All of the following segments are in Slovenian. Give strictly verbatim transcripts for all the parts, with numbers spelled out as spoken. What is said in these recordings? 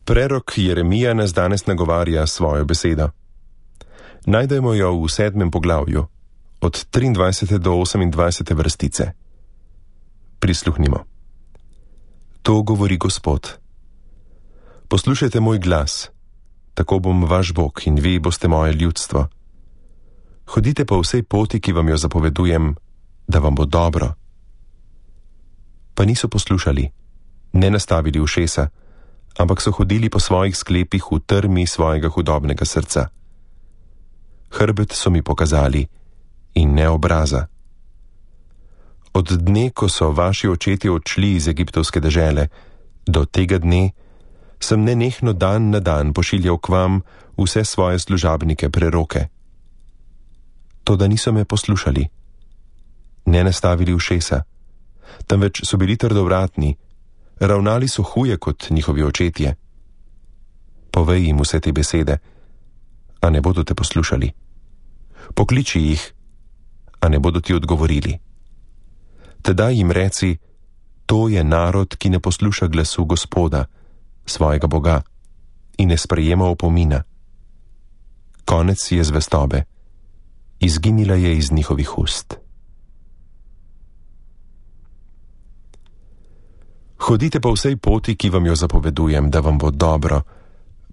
Prerok Jeremija nas danes nagovarja svojo besedo. Najdemo jo v sedmem poglavju, od triindvajsete do osemindvajsete vrstice. Prisluhnimo. To govori Gospod. Poslušajte moj glas, tako bom vaš Bog in vi boste moje ljudstvo. Hodite po vsej poti, ki vam jo zapovedujem, da vam bo dobro. Pa niso poslušali, ne nastavili ušesa, ampak so hodili po svojih sklepih v trmi svojega hudobnega srca. Hrbet so mi pokazali in ne obraza. Od dne, ko so vaši očetje odšli iz egiptovske dežele, do tega dne sem nenehno dan na dan pošiljal k vam vse svoje služabnike preroke. Toda niso me poslušali, ne nastavili ušesa, temveč so bili trdovratni, ravnali so huje kot njihovi očetje. Povej jim vse te besede, a ne bodo te poslušali. Pokliči jih, a ne bodo ti odgovorili. Tedaj jim reci, to je narod, ki ne posluša glasu Gospoda, svojega Boga, in ne sprejema opomina. Konec je zvestobe, izginila je iz njihovih ust. Hodite po vsej poti, ki vam jo zapovedujem, da vam bo dobro,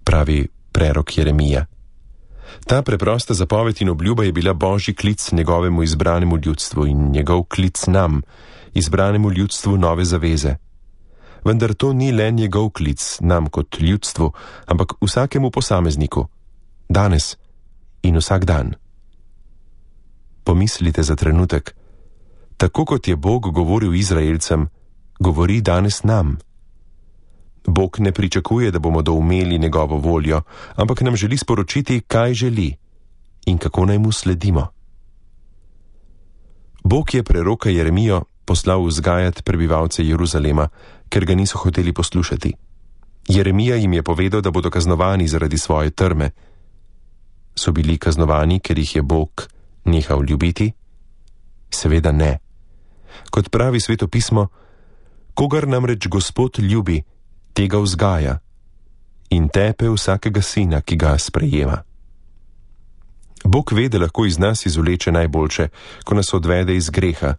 pravi prerok Jeremija. Ta preprosta zapoved in obljuba je bila Božji klic njegovemu izbranemu ljudstvu in njegov klic nam, izbranemu ljudstvu nove zaveze. Vendar to ni le njegov klic nam kot ljudstvu, ampak vsakemu posamezniku, danes in vsak dan. Pomislite za trenutek, tako kot je Bog govoril Izraelcem, govori danes nam. Bog ne pričakuje, da bomo doumeli njegovo voljo, ampak nam želi sporočiti, kaj želi in kako naj mu sledimo. Bog je preroka Jeremijo poslal vzgajati prebivalce Jeruzalema, ker ga niso hoteli poslušati. Jeremija jim je povedal, da bodo kaznovani zaradi svoje trme. So bili kaznovani, ker jih je Bog nehal ljubiti? Seveda ne. Kot pravi Sveto pismo, kogar namreč Gospod ljubi, tega vzgaja in tepe vsakega sina, ki ga sprejema. Bog ve, da lahko iz nas izvleče najboljše, ko nas odvede iz greha.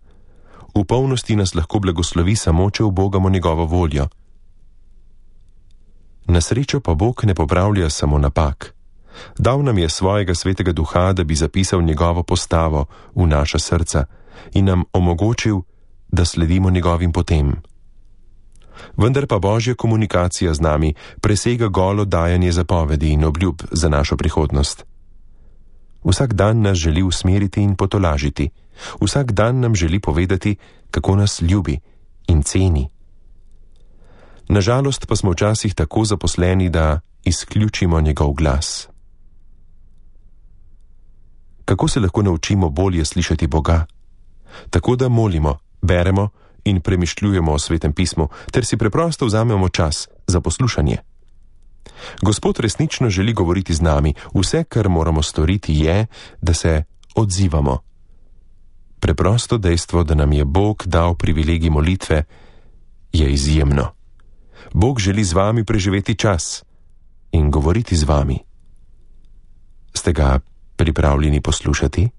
V polnosti nas lahko blagoslovi samo, če ubogamo njegovo voljo. Na srečo pa Bog ne popravlja samo napak. Dal nam je svojega svetega duha, da bi zapisal njegovo postavo v naša srca in nam omogočil, da sledimo njegovim potem. Vendar pa Božja komunikacija z nami presega golo dajanje zapovedi in obljub za našo prihodnost. Vsak dan nas želi usmeriti in potolažiti. Vsak dan nam želi povedati, kako nas ljubi in ceni. Nažalost pa smo včasih tako zaposleni, da izključimo njegov glas. Kako se lahko naučimo bolje slišati Boga? Tako da molimo, beremo in premišljujemo o Svetem pismu, ter si preprosto vzamemo čas za poslušanje. Gospod resnično želi govoriti z nami, vse, kar moramo storiti, je, da se odzivamo. Preprosto dejstvo, da nam je Bog dal privilegij molitve, je izjemno. Bog želi z vami preživeti čas in govoriti z vami. Ste ga pripravljeni poslušati?